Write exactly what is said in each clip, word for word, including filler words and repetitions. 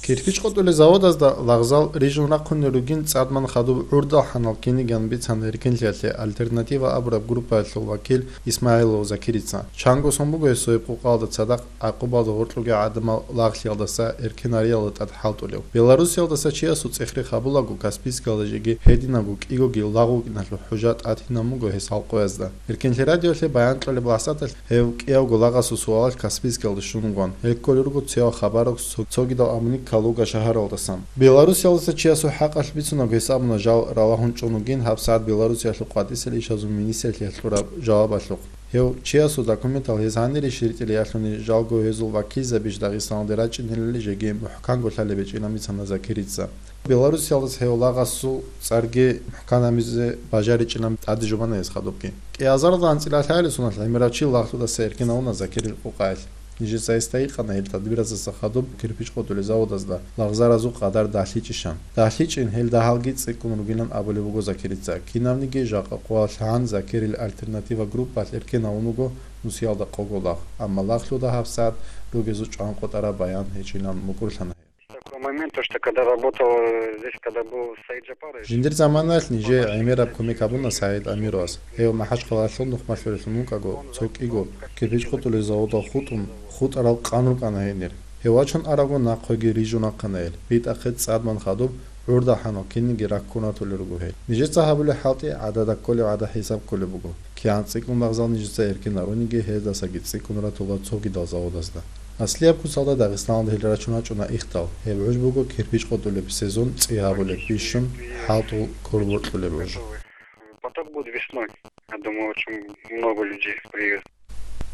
Кирпич къотӀулел заводазда лагъзал рижун рахъунел ругин цӀадман хадуб гӀурдал хӀанал киниган бицана эркенлъиялъе «Альтернатива» абураб группаялъул вакил Исмагьилов Закирица. Чанго сон буго гьесул гьеб къукъалда цадахъ гӀакъубалда гъоркьуги гӀадамал лагълъиялдаса эркенариялда тӀад хӀалтӀулев. Белоруссиялдаса чиясул цӀехрехъ гьабулаго, Каспийскалда жеги гьединабго кӀиго-кӀиго лагъ вукӀиналъул хӀужа тӀатинаб буго гьес гьал къоязда. Эркенлъи радиоялъе баян кьолеб лахӀзаталъ гьев кӀиявго лагъасул суалалъ Каспийскалде щун вугони, гьел кколел руго цеве хабаралъ цо-, цогидал абуни Калуга шагьаралдасан. Белоруссиялдаса чиясул хӀакъалъ бицунаго гьес абуна жал ралагьун чӀун вугин гьабсагӀат Белоруссиялъул къватӀисел ишазул министрлъиялъ кьураб жавабалъухъ. Гьев чиясул документал гьез гьанирищ ритӀилиялъуни, жалго гьезул вакилзабищ Дагъистаналде рачӀинелали жеги мухӀканго лъалеб гьечӀилан бицана Закирица. Белоруссиялдаса гьев лагъасул цӀарги мухӀкан гьабизе бажаричӀилан тӀаде жубана гьес хадубги. КӀиазарда анцӀила лъагӀалил соналъ гӀемерав чи лагълъудаса эркенавуна Закирил къукъаялъ. Нижеца гьесда гьикъана гьел тадбиразаса хадуб кирпич къотӀулел заводазда лагъзаразул къадар дагьлъичӀищан. ДагьлъичӀин, гьел дагьалги цӀикӀкӀун ругилан абулеб буго Закирица. Кинабниги жакъа къоялъ гьан Закирил «Альтернатива» группаялъ эркенавун вуго нусиялда къого лагъ, амма лагълъуда гьабсагӀат ругезул чӀван къотӀараб баян гьечӀилан мукӀурлъана гьев. Такой момент, то, что когда работал, э, здесь, когда был Саид Джапарович. Жиндир заманаялъ нижее гӀемераб кумек гьабуна СагӀид Амировас. Гьев МахӀачхъалаялъул нухмалъулелъун вукӀаго, цо кӀиго кирпич къотӀулел заводал хутӀун, хутӀарал къан рукӀана гьенир. Гьев вачун араго нахъеги рижун рахъана гьел. БитӀахъе цӀадман хадуб гӀурдал хӀанал кинниги раккун ратулел руго гьел. Нижеца гьабулеб хӀалтӀи гӀадада кколеб гӀадаб хӀисаб кколеб буго. КигӀан цӀикӀкӀун лагъзал нижеца эркенаруниги, гьездасаги цӀикӀкӀун ратула цогидал заводазда. Аслияб куцалда Дагъистаналда гьел рачун рачӀуна ихдал. Гьеб гӀуж буго кирпич къотӀулеб сезон цӀи гьабулеб бищун хӀалтӀул кколеб гьоркьулеб гӀуж. Поток будет весной. Я думаю, очень много людей приедет.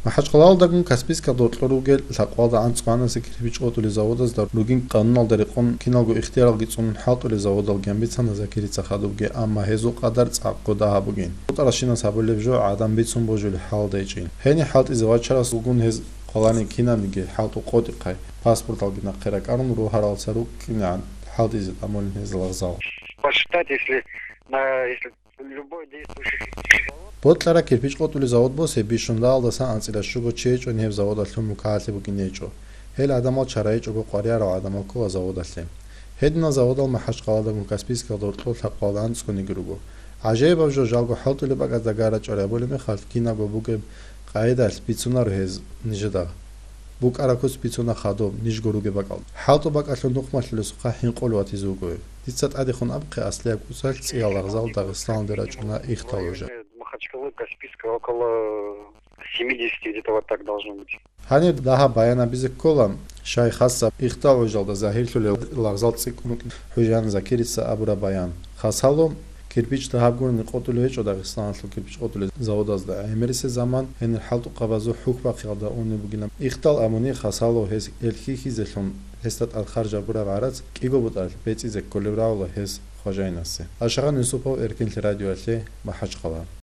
МахӀачхъалаялдагун Каспийскалда гьоркьор ругел лъабкъоялда анцӀго гьанасе кирпич къотӀулел заводазда ругин къануналда рекъон киналго ихтияралги цӀунун хӀалтӀулел заводалги гьанбицана Закирица хадубги, амма гьезул къадар цӀакъго дагьаб бугин. ХутӀаралщинас гьабулеб жо гӀадан бицун божулеб хӀалда гьечӀин. Гьениб хӀалтӀизе вачарас вугун гьез квалани кинабниги хӀалтӀу къотӀихъай, паспорталги нахъе ракӀарун, рогьаралца рукӀинегӀан хӀалтӀизе тӀамулин гьез лагъзал. Посчитать, если на, если любой действующий кирпичный завод. Бокьараб кирпич къотӀулел завод босе бищун лагъалдасан анцӀила щуго чи гьечӀони гьеб заводалъул мукагӀалъи букӀине гьечӀо. Гьел гӀадамал чара гьечӀого къваригӀарал гӀадамал ккола заводалъе. Гьединал заводал МахӀачхъалаялдагун Каспийскалда гьоркьор лъабкъоялда анцӀгониги руго. ГӀажаибаб жо, жалго хӀалтӀулеб бакӀазда гара чӀвари гьабулеб мехалъ, кинабго бугеб къагӀидалъ бицунаро гьез нижеда. БукӀараб куц бицуна хадуб, нижго ругеб бакӀалда. ХӀалтӀу бакӀалъул нухмалъулесухъа хӀинкъулев ватизе вуго гьев. Дица тӀадехун абухъе аслияб куцалъ цӀиял лагъзал Дагъистаналде рачӀуна ихдал гӀужа. Махачкалы, Каспийска около семидесяти где-то вот так должно быть. Гьаниб дагьаб баян гьабизе ккола, щай хасаб ихдал гӀужалда загьирлъулел лагъзал цӀикӀкӀун вукӀин хӀужаан Закирица абураб баян. Хасало, кирпич дагьаб гурони къотӀулев гьечӀо Дагъистаналъул кирпич къотӀулел заводазда. ГӀемерисеб заман гьенир хӀалтӀухъабазул хӀухь бахъиялда унеб бугилан. Ихдал абуни хасало гьес эр хьихьизелъун, гьесда тӀад харж гьабураб гӀарац кӀиго бутӀалъ бецӀизе кколеб равла гьес хважаинасе. Ашагъан Юсупов, Эркенлъи радиоялъе, МахӀачхъала.